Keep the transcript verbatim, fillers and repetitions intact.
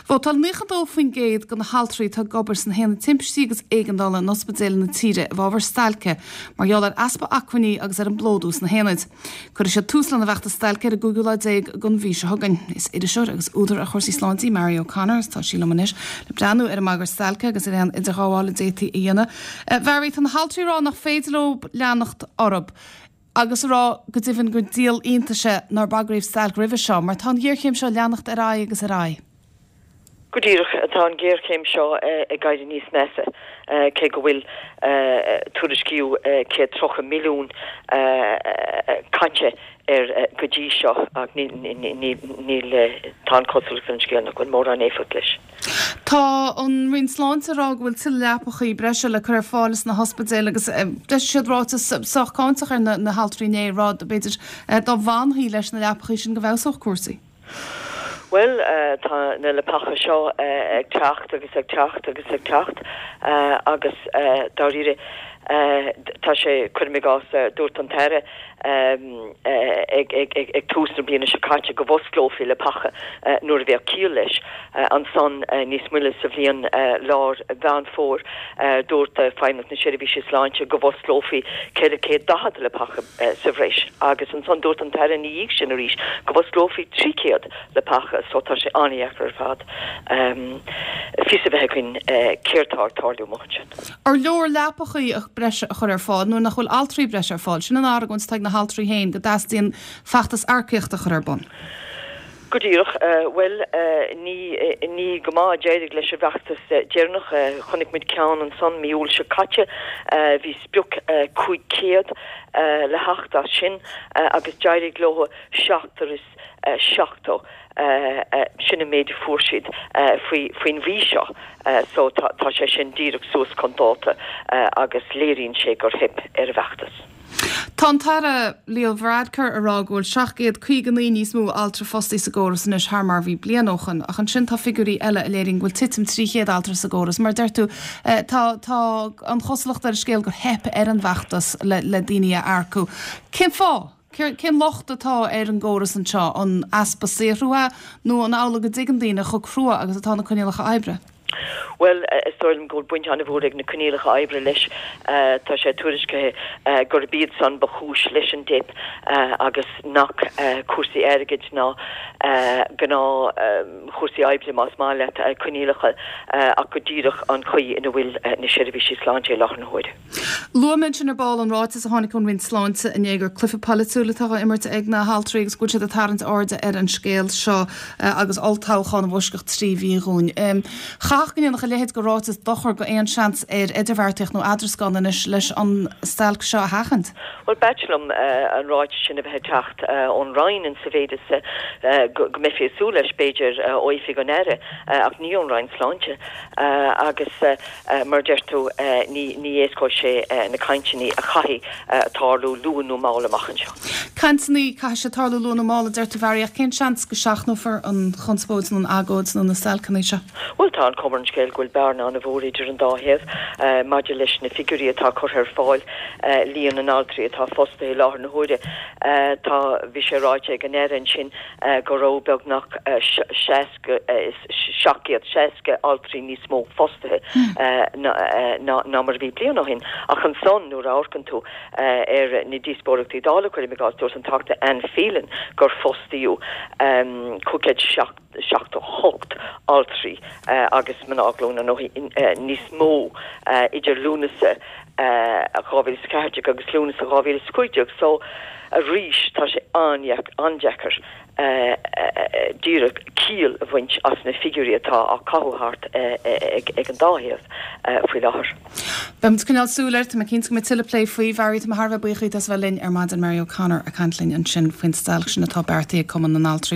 Vótáil nócha dó faoin gcéad de na haltraí atá ag obair sna haonaid timpistí agus éigeandála in ospidéil na tíre i bhfabhar stailce mar gheall ar easpa acmhainní agus ar an bplódú sna haonaid. Cuirfidh siad tús lena bhfeachtas stailce ar an gcúigiú lá déag den mhí seo chugainn. Is iriseoir agus údar ar chúrsaí sláinte í Mary O'Connor tá sí liom anois le breathnú ar an mbagairt stailce agus ar aon idirghabháil a d'fhéadfaí a dhéanamh. Mary tá na haltraí ag rá nach féidir leo leanacht orthu. agus a rá go deimhin gur díol iontais é nár bagraíodh stailc roimhe seo, mar tá an ghéarchéim seo ag leanacht ar aghaidh agus ar aghaidh. Go díreach tá an géarchéim seo ag éirí níos measa cé go bhfuil tuairiscíodh céad tríocha milliún caite ar go dtí seo ach níl tá an chosúlacht ar an scéal nach bhfuil mórán éifeacht leis. Tá an Roinn Sláinte ag rá go bhfuil tuilleadh leapachaí breise le cur ar fáil sna hospidéil agus d'eisigh siad ráiteas sách cáinteach ar na haltraí inné ag rá b'fhéidir dá bhfanfaí leis na leapachaí sin go bhfeabhsódh cúrsaí. Bhuel tá na leapacha seo ag teacht agus ag teacht agus ag teacht agus dáiríre tá sé cuirim i gcás dúirt an tAire ag ag ag ag tús na bliana seo caite go bhfosclófaí leapacha nuair a bheadh ciall leis ansan níos moille sa bhliain lár Mheán Fómhair dúirt Feidhmeannacht na Seirbhíse Sláinte go bhfosclófaí ceithre chéad daichead leapacha sa bhreis agus ansan dúirt an tAire ina dhiaidh sin arís go bhfosclófaí trí chéad leapacha so tá sé an-deacair ar fad fios a bheith againn céard atá ag tarlú amuigh ansin. Ar leor leapachaí breise a chur ar fáil nuair nach bhfuil altraí breise ar fáil, sin an argóint atá ag na haltraí féin go dteastaíonn feachtas earcaíochta a chur ar bun. Go díreach, bhuel ní ní go maith a d'éirigh leis an bhfeachtas deireanach. Chonaic muid ceann ansan mí Iúil seo caite, bhí sprioc cúig chéad le theacht as sin agus d'éirigh leo seachtar is seachtó, sin an méid a fuair siad faoi faoin mhí seo. So tá tá sé sin díreach suas chun dáta agus léiríonn sé gur theip ar an bhfeachtas. Tá an tAire Leo Varadkar ag rá go bhfuil seacht gcéad caoga naoi níos mó altra fostaithe sa gcóras anois thar mar a bhí bliain ó shin, ach ansin tá figiúirí eile a léiríonn go bhfuil titim trí chéad altra sa gcóras. Mar deir tú, tá tá an chosúlacht ar an scéal gur theip ar an bhfeachtas le le daoine a earcú. Cén fáth? Cén locht atá ar an gcóras anseo? An easpa saothrú é nó an amhlaidh go dtuigeann daoine chomh crua agus atá na coinníollacha oibre? Bhuel, is dóigh liom go bhfuil baint an-mhór ag na coinníollacha oibre leis. Tá sé tuairiscithe gurb iad san ba chúis leis an dteip agus nach cúrsaí airgid ná gnáthchúrsaí oibre, más maith leat, coinníollacha, ach go díreach an chaoi ina bhfuil na seirbhísí sláinte i láthair na huaire. Luaigh mé ansin ar ball an ráiteas a tháinig ón Roinn Sláinte inné gur cluiche polaitiúil atá á imirt ag na haltraí agus go bhfuil siad ag tarraingt airde ar an scéal seo agus olltoghchán i bhfoisceacht trí mhí dhúinn. Chaithfeadh go ndéanfadh a leithéid de ráiteas dochar go aon seans ar idirbheartaíocht nó eadrascáil anois leis an stailc seo a sheachaint. Bhuel, b'ait liom an ráiteas sin a bheith ag teacht ón Roinn in sa mhéid is go mbeifí ag súil leis, b'fhéidir, ó Oifig an Aire ach ní ón Roinn Sláinte agus mar a deir tú, ní éascóidh sé na cainteanna a chaithfidh tarlú luath nó mall amach anseo. Cainteanna, caithfidh siad tarlú luath nó mall, a deir tú, Mhary, ach cén seans go seachnófar an chonspóid nó an agóid nó na stailceanna seo? Bhuel, tá an chuma ar an scéal go bhfuil bearna an-mhór idir an dá thaobh maidir leis na figiúirí atá curtha ar fáil, líon na n-altraí atá fostaithe i láthair na huaire. Tá, bhí sé ráite ag an Aire ansin go raibh beagnach seasca, seacht gcéad seasca altraí níos mó fostaithe ná mar a bhí bliain ó shin. Ach ansan, nuair a amharcann tú ar na díospóireachtaí Dála, cuirim i gcás, dúirt an Teachta Anne Phelan gur fostaíodh cúig chéad seachtó hocht altraí agus mná glúine nó níos mó idir Lúnasa dhá mhíle is a ceathair déag agus Lúnasa dhá mhíle is a cúig déag. So, arís, tá sé an-deacair díreach ciall a bhaint as na figiúirí atá á caitheamh thart ag an dá thaobh faoi láthair. Beidh muid ag coinneáil súil air, tá mé cinnte go mbeidh tuilleadh plé faoi. Mhary, tá mé thar a bheith buíoch díot as a bheith linn ar maidin. Mary O'Connor ag caint linn ansin faoin stailc sin atá beartaithe ag Cumann na nAltraí.